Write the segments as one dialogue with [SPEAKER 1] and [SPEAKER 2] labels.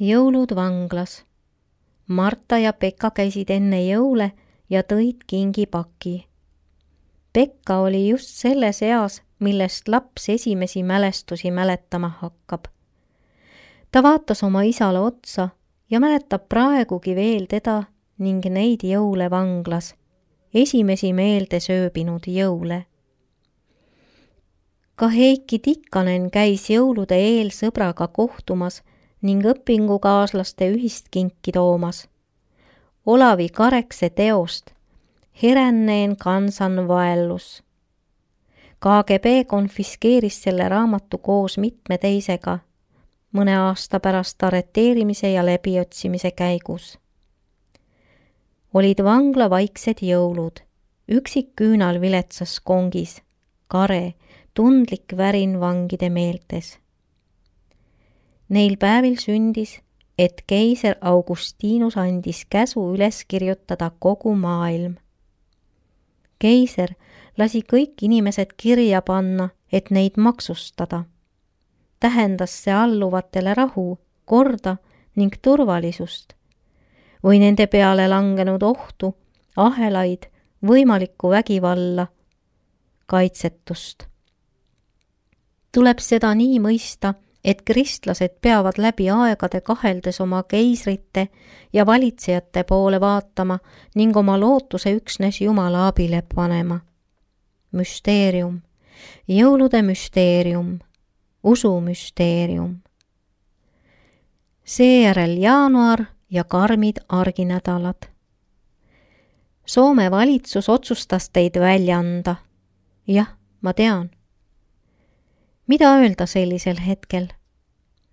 [SPEAKER 1] Jõulud vanglas. Marta ja Pekka käisid enne jõule ja tõid kingipaki. Pekka oli just selles eas, millest laps esimesi mälestusi mäletama hakkab. Ta vaatas oma isale otsa ja mäletab praegugi veel teda ning neid jõule vanglas, esimesi meelde sööbinud jõule. Ka Heiki Tikkanen käis jõulude eel sõbraga kohtumas ning õpingukaaslaste ühist kinki toomas. Olavi Karekse teost Heränneen kansan vaellus. KGB konfiskeeris selle raamatu koos mitme teisega mõne aasta pärast arreteerimise ja läbiotsimise käigus. Olid vangla vaiksed jõulud, üksik küünal viletsas kongis, kare, tundlik värin vangide meeltes. Neil päevil sündis, et keiser Augustinus andis käsu üles kirjutada kogu maailm. Keiser lasi kõik inimesed kirja panna, et neid maksustada. Tähendas see alluvatele rahu, korda ning turvalisust või nende peale langenud ohtu, ahelaid, võimalikku vägivalla, kaitsetust. Tuleb seda nii mõista, et kristlased peavad läbi aegade kaheldes oma keisrite ja valitsejate poole vaatama ning oma lootuse üksnes Jumala abile panema. Müsteerium, jõulude müsteerium, usu müsteerium. Seejärel jaanuar ja karmid arginädalad. Soome valitsus otsustas teid välja anda. Jah, ma tean. Mida öelda sellisel hetkel?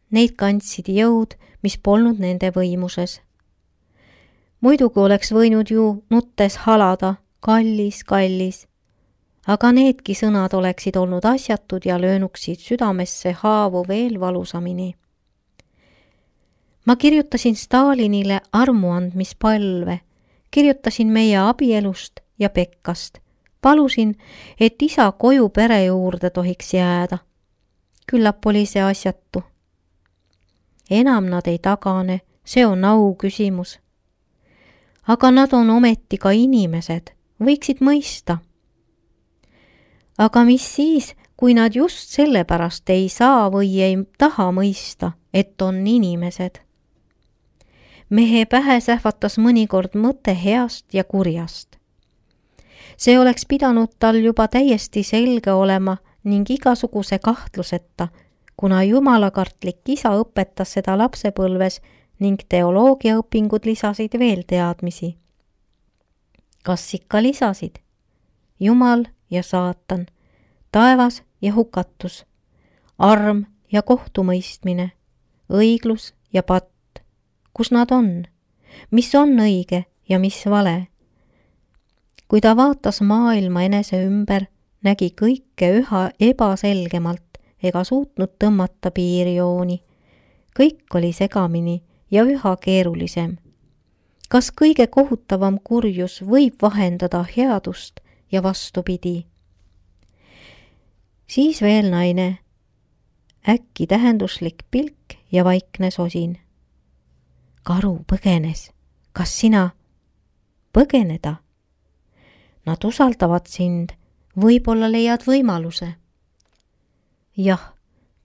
[SPEAKER 1] Neid kandsid jõud, mis polnud nende võimuses. Muidugi oleks võinud ju nuttes halada, kallis, kallis, aga needki sõnad oleksid olnud asjatud ja löönuksid südamesse haavu veel valusamini. Ma kirjutasin Stalinile armuandmispalve, kirjutasin meie abielust ja Pekkast, palusin, et isa koju pere juurde tohiks jääda. Küllap oli see asjatu. Enam nad ei tagane, see on au küsimus. Aga nad on ometi ka inimesed, võiksid mõista. Aga mis siis, kui nad just sellepärast ei saa või ei taha mõista, et on inimesed? Mehe pähe sähvatas mõnikord mõte heast ja kurjast. See oleks pidanud tal juba täiesti selge olema ning igasuguse kahtluseta, kuna jumalakartlik isa õpetas seda lapsepõlves ning teoloogiaõpingud lisasid veel teadmisi. Kas ikka lisasid? Jumal ja saatan, taevas ja hukatus, arm ja kohtumõistmine, õiglus ja patt. Kus nad on? Mis on õige ja mis vale? Kui ta vaatas maailma enese ümber, nägi kõike üha ebaselgemalt ega suutnud tõmmata piirjooni. Kõik oli segamini ja üha keerulisem. Kas kõige kohutavam kurjus võib vahendada headust ja vastupidi? Siis veel naine, äkki tähenduslik pilk ja vaikne sosin. Karu põgenes. Kas sina põgeneda? Nad usaldavad sind, võib-olla leiad võimaluse. Jah,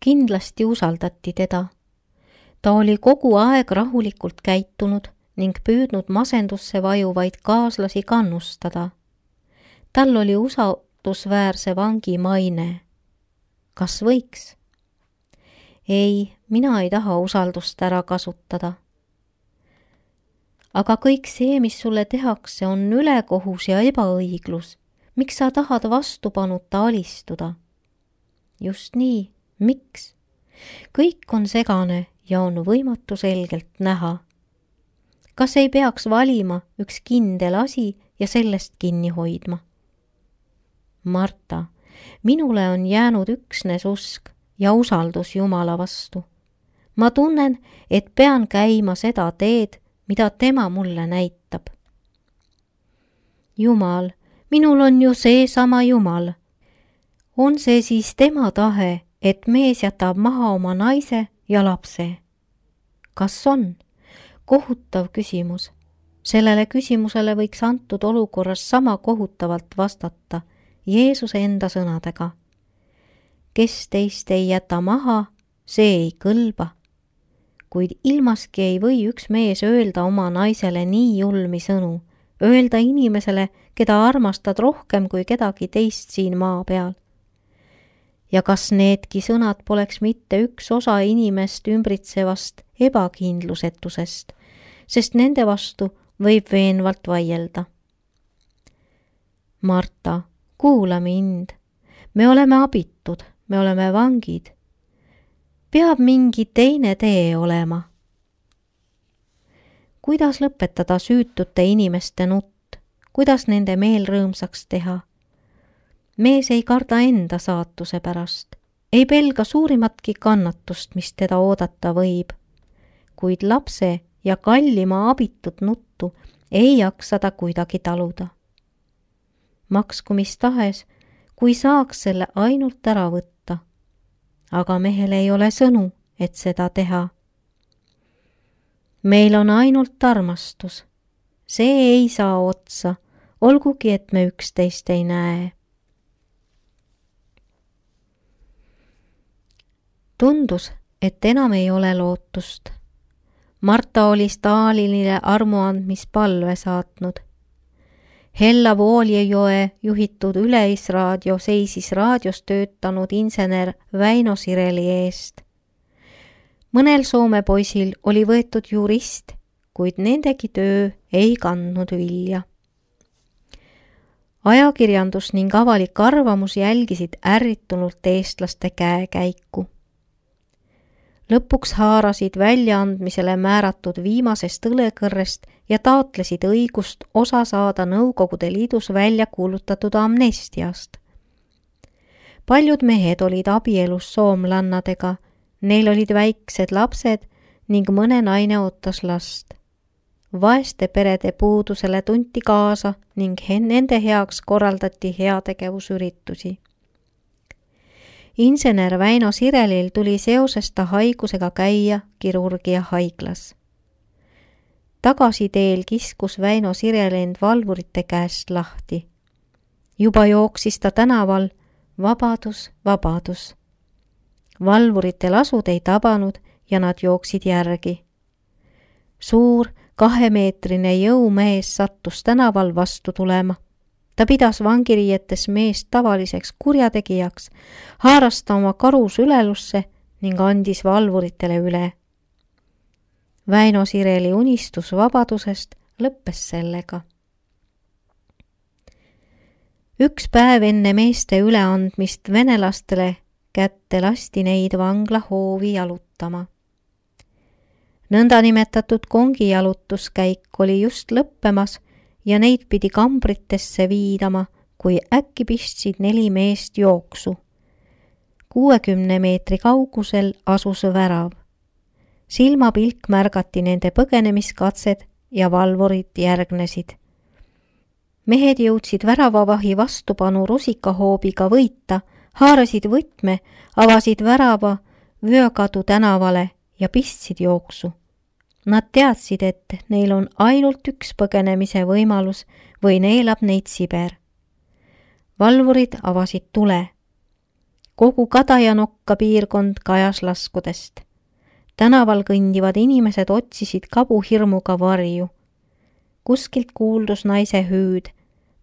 [SPEAKER 1] kindlasti usaldati teda. Ta oli kogu aeg rahulikult käitunud ning püüdnud masendusse vajuvaid kaaslasi kannustada. Tal oli usaldusväärse vangi maine. Kas võiks? Ei, mina ei taha usaldust ära kasutada. Aga kõik see, mis sulle tehakse, on ülekohus ja ebaõiglus. Miks sa tahad vastupanuta alistuda? Just nii, miks? Kõik on segane ja on võimatu selgelt näha. Kas ei peaks valima üks kindel asi ja sellest kinni hoidma? Marta, minule on jäänud üksnes usk ja usaldus Jumala vastu. Ma tunnen, et pean käima seda teed, mida tema mulle näitab. Jumal, minul on ju seesama Jumal. On see siis tema tahe, et mees jätab maha oma naise ja lapse? Kas on? Kohutav küsimus. Sellele küsimusele võiks antud olukorras sama kohutavalt vastata Jeesuse enda sõnadega. Kes teist ei jäta maha, see ei kõlba. Kuid ilmaski ei või üks mees öelda oma naisele nii julmi sõnu, öelda inimesele, keda armastad rohkem kui kedagi teist siin maa peal. Ja kas needki sõnad poleks mitte üks osa inimest ümbritsevast ebakindlusetusest, sest nende vastu võib veenvalt vaielda. Marta, kuula mind. Me oleme abitud, me oleme vangid. Peab mingi teine tee olema. Kuidas lõpetada süütute inimeste nutt? Kuidas nende meel rõõmsaks teha? Mees ei karda enda saatuse pärast, ei pelga suurimatki kannatust, mis teda oodata võib, kuid lapse ja kallima abitud nuttu ei jaksa ta kuidagi taluda. Maksku mis tahes, kui saaks selle ainult ära võtta, aga mehel ei ole sõnu, et seda teha. Meil on ainult armastus, see ei saa otsa, olgugi et me üksteist ei näe. Tundus, et enam ei ole lootust. Marta oli Stalinile armuandmispalve saatnud. Hella Vooljejoe juhitud Üleisraadio seisis raadios töötanud insener Väino Sireli eest. Mõnel Soome poisil oli võetud jurist, kuid nendegi töö ei kandnud vilja. Ajakirjandus ning avalik arvamus jälgisid ärritunult eestlaste käekäiku. Lõpuks haarasid väljaandmisele määratud viimasest õlekõrrest ja taotlesid õigust osa saada Nõukogude Liidus välja kuulutatud amnestiast. Paljud mehed olid abielus soomlannadega, neil olid väiksed lapsed ning mõne naine ootas last. Vaeste perede puudusele tunti kaasa ning nende heaks korraldati heategevusüritusi. Insener Väino Sirelil tuli seoses ta haigusega käia kirurgia haiglas. Tagasiteel kiskus Väino Sirel end valvurite käest lahti. Juba jooksis ta tänaval vabadus, vabadus. Valvurite lasud ei tabanud ja nad jooksid järgi. Suur 2-meetrine jõumees sattus tänaval vastu tulema. Ta pidas vangiriietes meest tavaliseks kurjategijaks, haaras ta oma karus ülelusse ning andis valvuritele üle. Väino Sireli unistus vabadusest lõppes sellega. Üks päev enne meeste üleandmist venelastele kätte lasti neid vangla hoovi jalutama. Nõndanimetatud kongijalutuskäik oli just lõppemas ja neid pidi kambritesse viidama, kui äkki pistsid 4 meest jooksu. 60 meetri kaugusel asus värav. Silmapilk märgati nende põgenemiskatsed ja valvurid järgnesid. Mehed jõudsid väravavahi vastupanu rusikahoobiga võita, haarasid võtme, avasid värava Vöökadu tänavale ja pistsid jooksu. Nad teadsid, et neil on ainult üks põgenemise võimalus või neelab neid Siber. Valvurid avasid tule. Kogu Kadajanokka piirkond kajas laskudest. Tänaval kõndivad inimesed otsisid kabuhirmuga varju. Kuskilt kuuldus naise hüüd.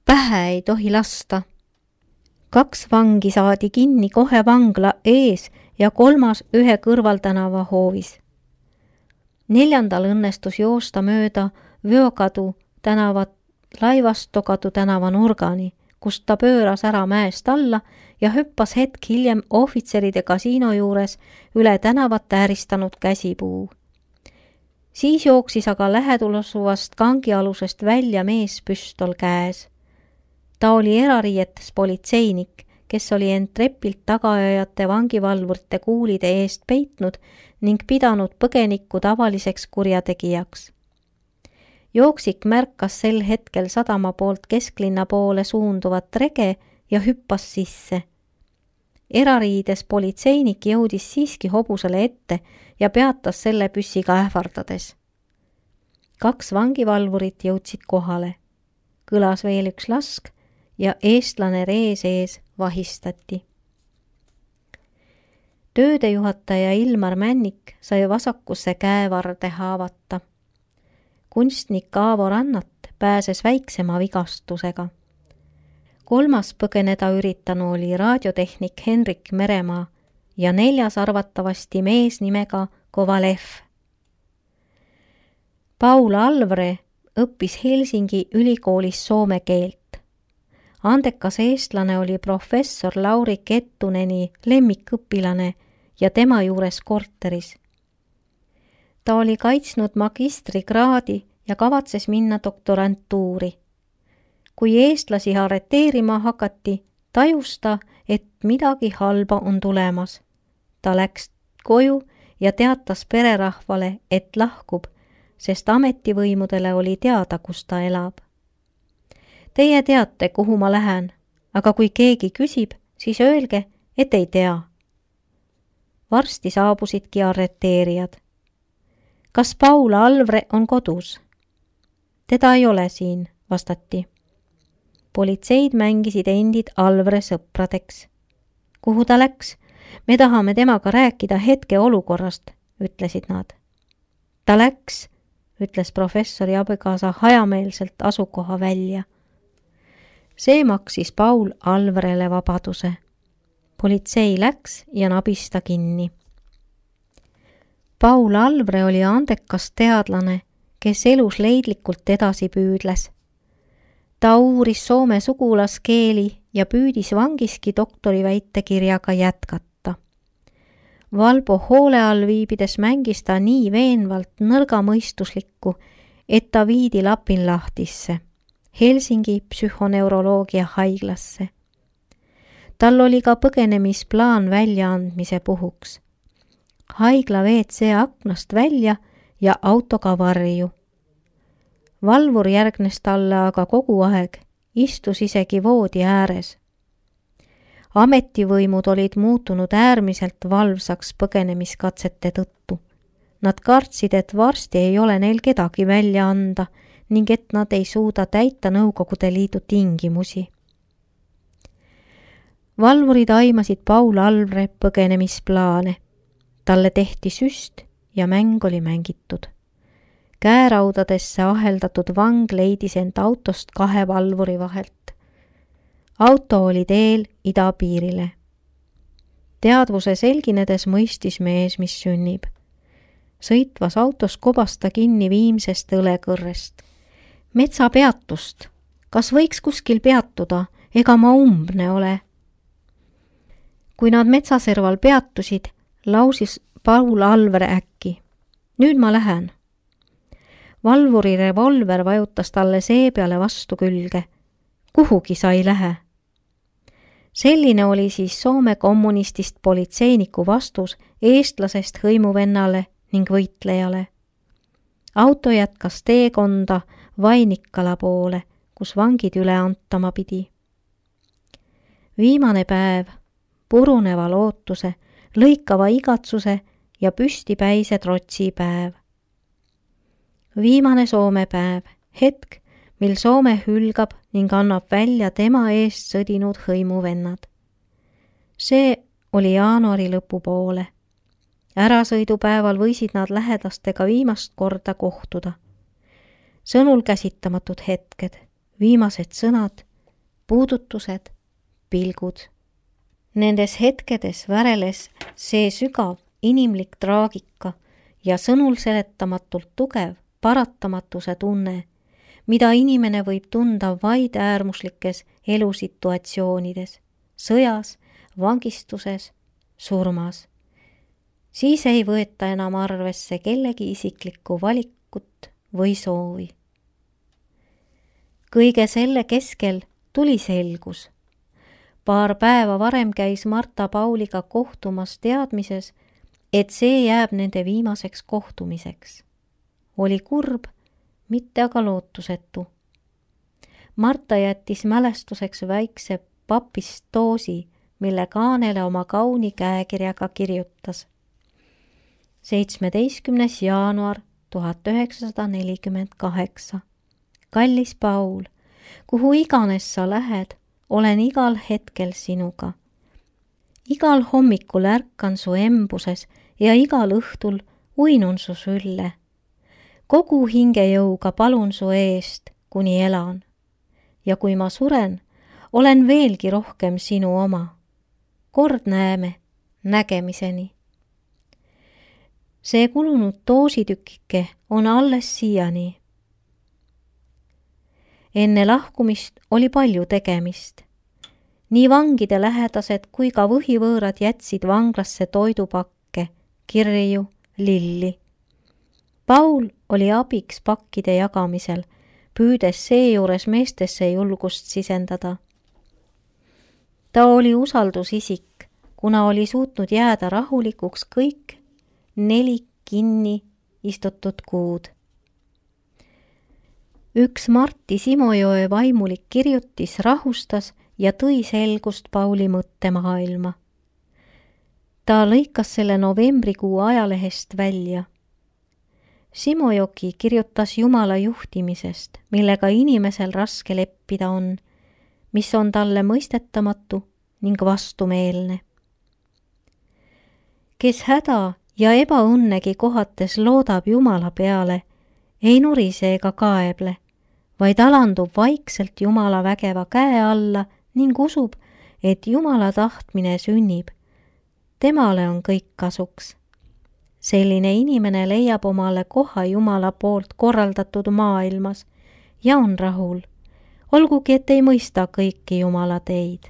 [SPEAKER 1] Pähe ei tohi lasta. 2 vangi saadi kinni kohe vangla ees ja 3 ühe kõrvaltänava hoovis. 4. õnnestus joosta mööda Vöökadu tänavat Laivastokadu tänava nurgani, kust ta pööras ära mäest alla ja hüppas hetk hiljem ohvitseride kasiino juures üle tänavat ääristanud käsipuu. Siis jooksis aga lähedusuvast kangialusest välja mees püstol käes. Ta oli erariietes politseinik, kes oli end trepilt tagaajajate vangivalvurite kuulide eest peitnud ning pidanud põgenikku tavaliseks kurjategijaks. Jooksik märkas sel hetkel sadama poolt kesklinna poole suunduvat rege ja hüppas sisse. Erariides politseinik jõudis siiski hobusele ette ja peatas selle püssiga ähvardades. 2 vangivalvurit jõudsid kohale. Kõlas veel üks lask ja eestlane ree sees vahistati. Töödejuhataja Ilmar Männik sai vasakusse käevarde haavata. Kunstnik Aavo Rannat pääses väiksema vigastusega. 3. põgeneda üritanu oli raadiotehnik Henrik Meremaa ja 4. arvatavasti mees nimega Kovalev. Paul Alvre õppis Helsingi ülikoolis soome keelt. Andekas eestlane oli professor Lauri Kettuneni lemmikõpilane ja tema juures korteris. Ta oli kaitsnud magistrikraadi ja kavatses minna doktorantuuri. Kui eestlasi arreteerima hakati, tajus ta, et midagi halba on tulemas. Ta läks koju ja teatas pererahvale, et lahkub, sest ametivõimudele oli teada, kus ta elab. Teie teate, kuhu ma lähen, aga kui keegi küsib, siis öelge, et ei tea. Varsti saabusidki arreteerijad. Kas Paul Alvre on kodus? Teda ei ole siin, vastati. Politseid mängisid endid Alvre sõpradeks. Kuhu ta läks? Me tahame temaga rääkida hetke olukorrast, ütlesid nad. Ta läks, ütles professori abikaasa hajameelselt asukoha välja. See maksis Paul Alvrele vabaduse. Politsei läks ja nabis ta kinni. Paul Alvre oli andekas teadlane, kes elus leidlikult edasi püüdles. Ta uuris soome sugulaskeeli ja püüdis vangiski doktoriväitekirjaga jätkata. Valbo hoole all viibides mängis ta nii veenvalt nõrgamõistuslikku, et ta viidi Lapinlahtisse, Helsingi psühhoneuroloogia haiglasse. Tal oli ka põgenemisplaan väljaandmise puhuks. Haigla WC aknast välja ja autoga varju. Valvur järgnes talle aga kogu aeg, istus isegi voodi ääres. Ametivõimud olid muutunud äärmiselt valvsaks põgenemiskatsete tõttu. Nad kartsid, et varsti ei ole neil kedagi välja anda ning et nad ei suuda täita Nõukogude Liidu tingimusi. Valvurid aimasid Paul Alvre põgenemisplaane. Talle tehti süst ja mäng oli mängitud. Käeraudadesse aheldatud vang leidis end autost 2 valvuri vahelt. Auto oli teel idapiirile. Teadvuse selginedes mõistis mees, mis sünnib. Sõitvas autos kobas ta kinni viimsest õlekõrrest. Metsapeatust. Kas võiks kuskil peatuda? Ega ma umbne ole. Kui nad metsaserval peatusid, lausis Paul Alvre äkki. Nüüd ma lähen. Valvuri revolver vajutas talle see peale vastu külge. Kuhugi sa ei lähe. Selline oli siis Soome kommunistist politseiniku vastus eestlasest hõimuvennale ning võitlejale. Auto jätkas teekonda Vainikkala poole, kus vangid üle antama pidi. Viimane päev, puruneva lootuse, lõikava igatsuse ja püstipäise trotsi päev. Viimane Soome päev, hetk, mil Soome hülgab ning annab välja tema eest sõdinud hõimuvennad. See oli jaanuari lõpupoole. Ärasõidupäeval võisid nad lähedastega viimast korda kohtuda. Sõnul käsitamatud hetked, viimased sõnad, puudutused, pilgud. Nendes hetkedes väreles see sügav inimlik traagika ja sõnul seletamatult tugev paratamatuse tunne, mida inimene võib tunda vaid äärmuslikes elusituatsioonides, sõjas, vangistuses, surmas. Siis ei võeta enam arvesse kellegi isiklikku valikut või soovi. Kõige selle keskel tuli selgus. Paar päeva varem käis Marta Pauliga kohtumas teadmises, et see jääb nende viimaseks kohtumiseks. Oli kurb, mitte aga lootusetu. Marta jättis mälestuseks väikse papist doosi, mille kaanele oma kauni käekirjaga kirjutas. 17. jaanuar 1948. Kallis Paul, kuhu iganes sa lähed, olen igal hetkel sinuga. Igal hommikul ärkan su embuses ja igal õhtul uinun su sülle. Kogu hingejõuga palun su eest, kuni elan. Ja kui ma suren, olen veelgi rohkem sinu oma. Kord näeme, nägemiseni. See kulunud doositükike on alles siiani. Enne lahkumist oli palju tegemist. Nii vangide lähedased kui ka võhivõõrad jätsid vanglasse toidupakke, kirju, lilli. Paul oli abiks pakkide jagamisel, püüdes seejuures meestesse julgust sisendada. Ta oli usaldusisik, kuna oli suutnud jääda rahulikuks kõik 4 kinni istutud kuud. Üks Martti Simojoe vaimulik kirjutis rahustas ja tõi selgust Pauli mõttemaailma. Ta lõikas selle novembrikuu ajalehest välja. Simojoki kirjutas Jumala juhtimisest, millega inimesel raske leppida on, mis on talle mõistetamatu ning vastumeelne. Kes häda ja ebaõnnegi kohates loodab Jumala peale, ei nurise ega kaeble, vaid alandub vaikselt Jumala vägeva käe alla ning usub, et Jumala tahtmine sünnib. Temale on kõik kasuks. Selline inimene leiab omale koha Jumala poolt korraldatud maailmas ja on rahul, olgugi et ei mõista kõiki Jumala teid.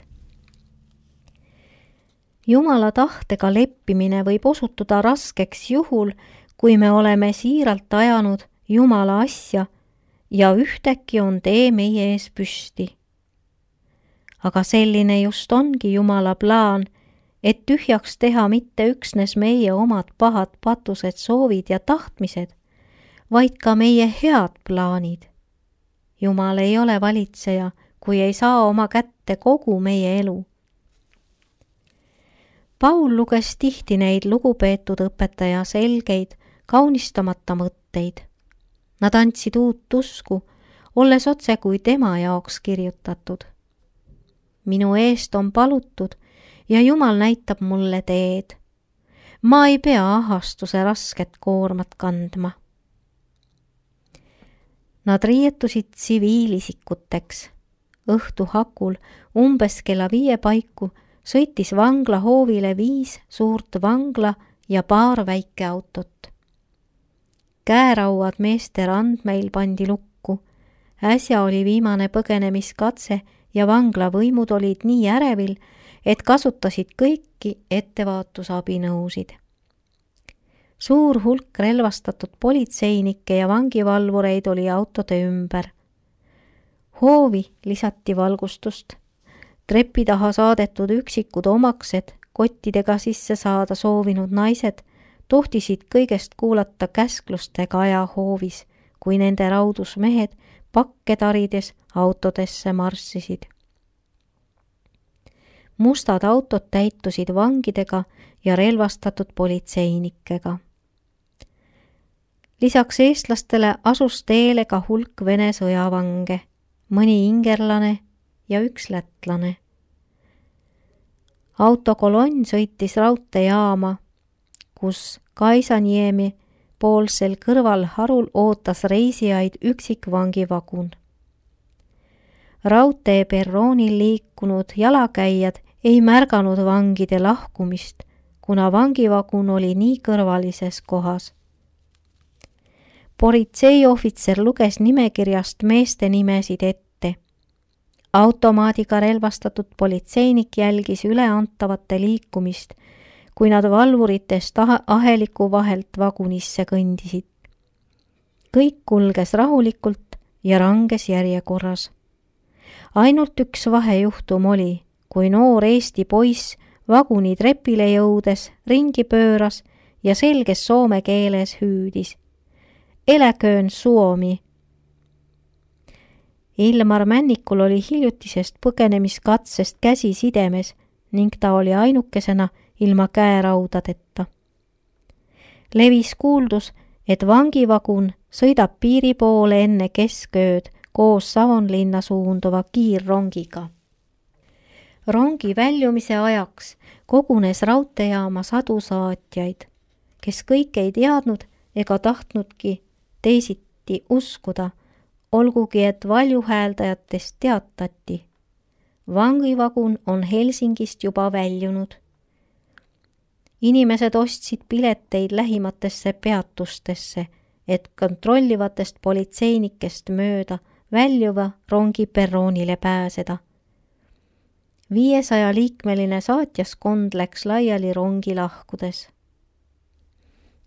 [SPEAKER 1] Jumala tahtega leppimine võib osutuda raskeks juhul, kui me oleme siiralt ajanud Jumala asja ja ühtäkki on tee meie ees püsti. Aga selline just ongi Jumala plaan, et tühjaks teha mitte üksnes meie omad pahad patused, soovid ja tahtmised, vaid ka meie head plaanid. Jumal ei ole valitseja, kui ei saa oma kätte kogu meie elu. Paul luges tihti neid lugupeetud õpetaja selgeid, kaunistamata mõtteid. Nad andsid uut usku, olles otse kui tema jaoks kirjutatud. Minu eest on palutud ja Jumal näitab mulle teed. Ma ei pea ahastuse rasket koormat kandma. Nad riietusid tsiviilisikuteks. Õhtu hakul umbes kella 5 paiku sõitis vangla hoovile 5 suurt vangla ja paar väikeautot. Käerauad meeste randmeil pandi lukku. Äsja oli viimane põgenemiskatse ja vangla võimud olid nii ärevil, et kasutasid kõiki ettevaatusabinõusid. Suur hulk relvastatud politseinikke ja vangivalvureid oli autode ümber. Hoovi lisati valgustust. Trepi taha saadetud üksikud omaksed, kottidega sisse saada soovinud naised, tohtisid kõigest kuulata käsklustega aja hoovis, kui nende raudusmehed pakke tarides autodesse marssisid. Mustad autod täitusid vangidega ja relvastatud politseinikega. Lisaks eestlastele asus teele ka hulk Vene sõjavange, mõni ingerlane ja üks lätlane. Autokolonn sõitis raudteejaama, kus Kaisaniemi poolsel kõrval harul ootas reisijaid üksik vangivagun. Raudtee perroonil liikunud jalakäijad ei märganud vangide lahkumist, kuna vangivagun oli nii kõrvalises kohas. Politseiohvitser luges nimekirjast meeste nimesid ette. Automaadiga relvastatud politseinik jälgis üleantavate liikumist, kui nad valvuritest aheliku vahelt vagunisse kõndisid. Kõik kulges rahulikult ja ranges järjekorras. Ainult üks vahejuhtum oli, kui noor Eesti poiss vaguni trepile jõudes ringi pööras ja selges soome keeles hüüdis. Eläköön Suomi! Ilmar Männikul oli hiljutisest põgenemiskatsest käsi sidemes ning ta oli ainukesena ilma käeraudadeta. Levis kuuldus, et vangivagun sõidab piiri poole enne keskööd koos Savonlinna suunduva kiirrongiga. Rongi väljumise ajaks kogunes raudteejaama sadu saatjaid, kes kõik ei teadnud ega tahtnudki teisiti uskuda, olgugi et valjuhääldajatest teatati. Vangivagun on Helsingist juba väljunud. Inimesed ostsid pileteid lähimatesse peatustesse, et kontrollivatest politseinikest mööda väljuva rongi perroonile pääseda. 500-liikmeline saatjaskond läks laiali rongi lahkudes.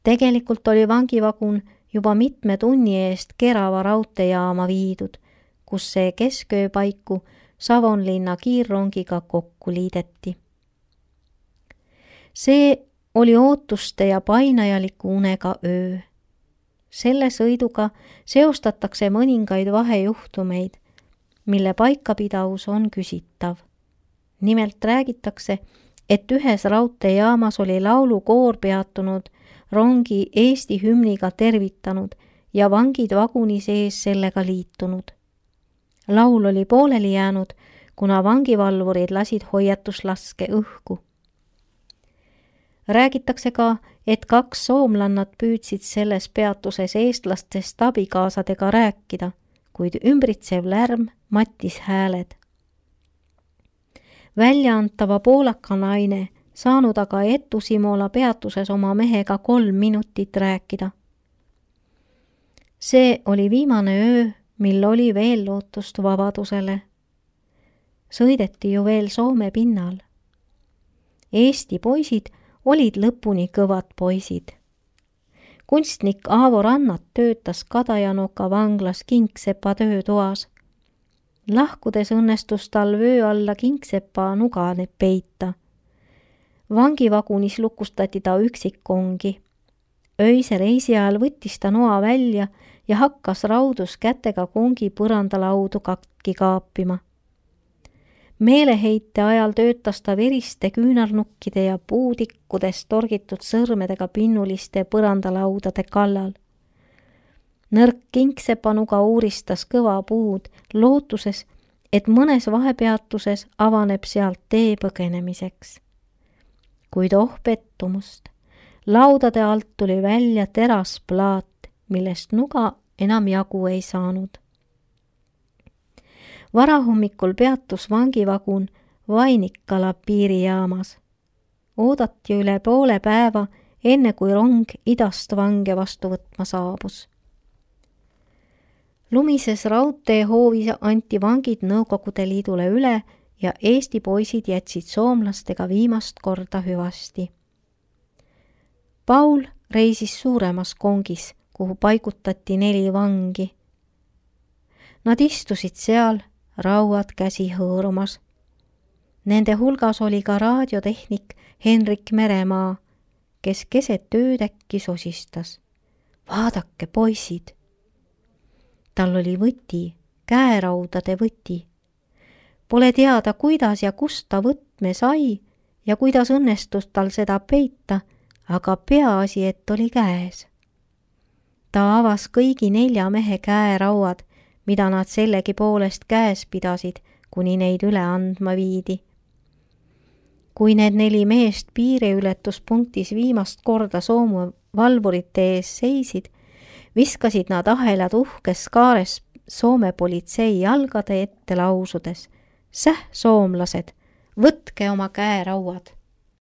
[SPEAKER 1] Tegelikult oli vangivagun juba mitme tunni eest Kerava raudteejaama viidud, kus see kesköö paiku Savonlinna kiirrongiga kokku liideti. See oli ootuste ja painajaliku unega öö. Selle sõiduga seostatakse mõningaid vahejuhtumeid, mille paikapidavus on küsitav. Nimelt räägitakse, et ühes raudteejaamas oli laulukoor peatunud, rongi Eesti hümniga tervitanud ja vangid vaguni sees sellega liitunud. Laul oli pooleli jäänud, kuna vangivalvurid lasid hoiatuslaske õhku. Räägitakse ka, et 2 soomlannat püüdsid selles peatuses eestlastest abikaasadega rääkida, kuid ümbritsev lärm mattis hääled. Väljaantava poolaka naine saanud aga Etu Simola peatuses oma mehega 3 minutit rääkida. See oli viimane öö, mil oli veel lootust vabadusele. Sõideti ju veel Soome pinnal. Eesti poisid olid lõpuni kõvad poisid. Kunstnik Aavo Rannat töötas Kadajanoka vanglas Kingsepa töötoas. Lahkudes õnnestus tal vöö alla Kingsepa nugane peita. Vangivagunis lukustati ta üksikkongi. Öise reisi ajal võttis ta noa välja ja hakkas raudus kätega kongi põrandalaudu katki kaapima. Meeleheite ajal töötas ta veriste küünarnukkide ja puudikkudest torgitud sõrmedega pinnuliste põrandalaudade kallal. Nõrk Kingsepanuga uuristas kõva puud, lootuses, et mõnes vahepeatuses avaneb sealt tee põgenemiseks. Kuid pettumust. Laudade alt tuli välja terasplaat, millest nuga enam jagu ei saanud. Varahommikul peatus vangivagun Vainikala piirijaamas. Oodati üle poole päeva, enne kui rong idast vange vastu võtma saabus. Lumises raudteehoovis anti vangid Nõukogude Liidule üle ja Eesti poisid jätsid soomlastega viimast korda hüvasti. Paul reisis suuremas kongis, kuhu paigutati 4 vangi. Nad istusid seal, rauad käsi hõõrumas. Nende hulgas oli ka raadiotehnik Henrik Meremaa, kes keset ööd äkki sosistas. Vaadake, poisid! Tal oli võti, käeraudade võti. Pole teada, kuidas ja kust ta võtme sai ja kuidas õnnestus tal seda peita, aga peaasi, et oli käes. Ta avas kõigi 4 mehe käerauad, mida nad sellegi poolest käes pidasid, kuni neid üle andma viidi. Kui need 4 meest piiriületuspunktis viimast korda Soome valvurite ees seisid, viskasid nad ahelad uhkes kaares Soome politsei jalgade ette lausudes. Säh, soomlased, võtke oma käerauad!